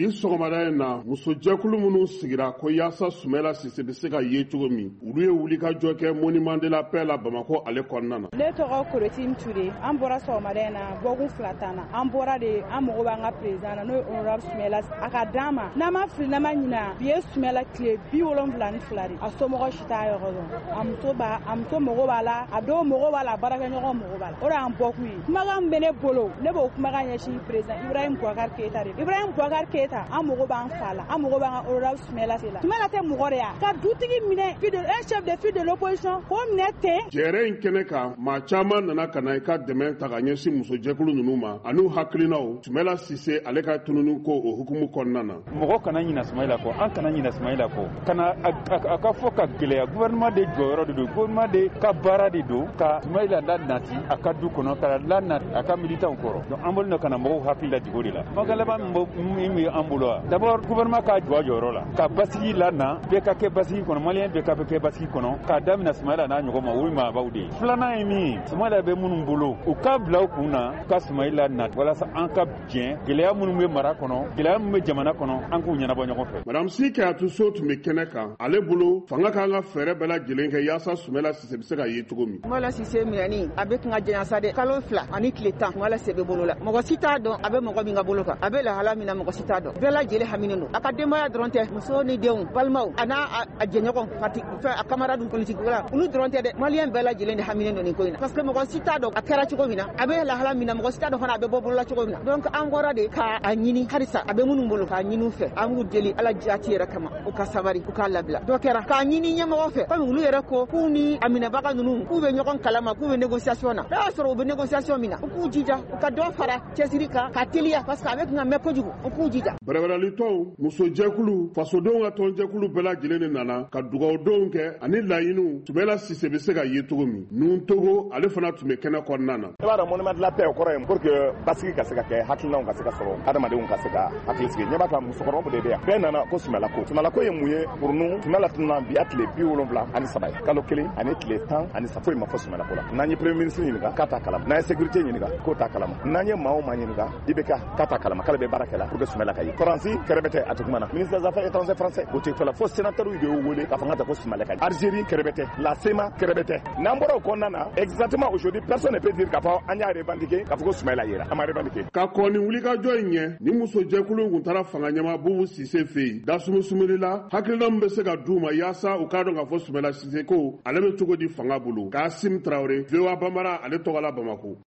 Bi sɔgɔmada in na, musojɛkulu minnu sigira ko yaasa Sumala Sise bɛ se ka ye cogo min, olu ye wulikajɔ kɛ Monument de la Paix la Bamakɔ ale kɔnɔna na. Ne tɔgɔ Korotine Ture. An bɔra sɔgɔmada in na bɔkun 2 t'an na. An bɔra de, an mago b'an ka président na, n'o ye honorable Sumala, a ka d'an ma. N'an ma fili, n'an ma ɲina, bi ye Sumala tile 72 de. A somɔgɔ si t'a yɔrɔ dɔn. A muso b'a, a muso mago b'a la, a dɔw mago b'a la, a baarakɛɲɔgɔn mago b'a la. O de y'an bɔkun ye. Kumakan min bɛ ne bolo, ne b'o kumakan ɲɛsin président Ibrahim Boubacar Keita de. Ibrahim Boubacar Keita, an mago b'an fa la, an mago b'an ka honorable Sumala la. Sumala tɛ mɔgɔ de ya. Ka dutigi minɛ, un chef de file de l'opposition, k'o minɛ ten. Jɛrɛ in kɛnɛ kan, maa caman nana ka na i ka dɛmɛ ta ka ɲɛsin musojɛkulu ninnu ma an'u hakilinaw Sumala Sise ale ka tununi ko o hukumu kɔnɔna na. Mɔgɔ kana ɲina Sumayila kɔ, an kana ɲina Sumayila kɔ, kana a ka fɔ ka gɛlɛya. Gouvernement de jɔyɔrɔ de don, gouvernement de ka baara de don ka Sumayila lanati a ka du kɔnɔ, ka lanati a ka militants kɔrɔ. Donc an bolo ka na mɔgɔw hakili lajigin o de la. Kumakan laban min bɛ an bolo wa, d'abord gouvernement ka jɔ a jɔyɔrɔ la, ka basigi lana, bɛɛ ka kɛ basigi kɔnɔ, malien bɛɛ ka kɛ basigi kɔnɔ, k'a daminɛ Sumayila n'a ɲɔgɔn ma, o ye maabaw de ye. Filanan ye min ye, Sumayila bɛ minnu bolo, u ka bila u kun na ka Sumayila na walasa an ka jɛn gɛlɛya minnu bɛ mara kɔnɔ, gɛlɛya minnu bɛ jamana kɔnɔ, an k'u ɲɛnabɔ ɲɔgɔn fɛ. Madame Si Kayatu So tun bɛ kɛnɛ kan. Ale bolo, fanga kan ka fɛɛrɛ bɛɛ lajɛlen kɛ yaasa Sumala Sise bɛ se ka ye cogo min. Sumala Sise minɛni a bɛ kan ka janya sa dɛ, kalo 2 ani tile 10 Sumala Sise bɛ bolo la. Mɔgɔ si t'a dɔn a bɛ mɔgɔ min ka bolo kan, a bɛ lahala min na, mɔgɔ si t'a dɔn. Bɛɛ lajɛlen haminen don. A ka denbaya dɔrɔn tɛ, muso ni denw, balimaw, a n'a a jɛɲɔgɔn parti fɛn, a camarade politique la, olu dɔrɔn tɛ dɛ, malien bɛɛ lajɛlen de haminen don nin ko in na. Parce que mɔgɔ si t'a dɔn a kɛra cogo min na, a bɛ lahala min na, mɔgɔ si t'a dɔn fana a bɛ bɔ bolola cogo min na. Donc an bɔra de k'a ɲini halisa a bɛ minnu bolo, k'a ɲini u fɛ, an b'u deli Ala jaati yɛrɛ kama, u ka sabari, u k'a labila. Dɔ kɛra k'a ɲini ɲɛmɔgɔ fɛ, komi olu yɛrɛ ko k'u ni a minɛbaga ninnu k'u bɛ ɲɔgɔn kalama, k'u bɛ négociation na. N'a y'a sɔrɔ u bɛ négociation min na, u k'u jija, u ka dɔ fara cɛsiri kan ka teliya, parce que a bɛ kan ka mɛn kojugu, u k'u jija. Bɛrɛbɛrɛlitɔnw, musojɛkulu, fasodenw ka tɔnjɛkulu bɛɛ lajɛlen de nana ka dugawudenw kɛ ani laɲiniw Sumala Sise bɛ se ka ye cogo min. Nun Togo ale fana tun bɛ kɛnɛ kɔnɔna na. I b'a dɔn, Monument de la Paix, o kɔrɔ ye pour que basigi ka se ka kɛ, hakilinaw ka se ka sɔrɔ, adamadenw ka se ka hakili sigi. Ɲɛ b'a kan, musokɔrɔbaw de bɛ yan, bɛɛ nana ko Sumala ko. Sumala ko ye mun ye pour nous? Sumala tununa bi a tile 73 ye, kalo 1 ani tile 13, foyi ma fɔ Sumala ko la. N'an ye premier ministre ɲininka, k'a t'a kalama. N'an ye sécurité ɲininka, k'o t'a kalama. N'an ye maa o maa ɲininka, i bɛ k'a t'a kalama, k'ale bɛ baara kɛ la pour que Sumala ka ye. Faransi kɛrɛbɛtɛ, a tɛ kuma na. Ministre des Affaires étrangères français, o tɛ fɔla, fo sénateur de y'o wele k'a fɔ n ka taa ko Sumala ka ye. Algérie kɛrɛbɛtɛ, la CMA kɛrɛbɛtɛ. N'an bɔra o kɔnɔna na, exactement aujourd'hui personne ne peut dire k'a fɔ an y'a revendiquer, k'a fɔ ko Sumala yera, an ma revendiquer. Ka kɔn ni wulikajɔ in ɲɛ, ni musojɛkulu in kun taara fanga ɲɛma Bubu Sise fɛ yen, dasumusumunni la, hakilina min bɛ se ka d'u ma yaasa u k'a dɔn k'a fɔ Sumala Sise ko ale bɛ cogo di fanga bolo. Kasim Tarawele, VOA Bambara, ale tɔgɔ la Bamakɔ.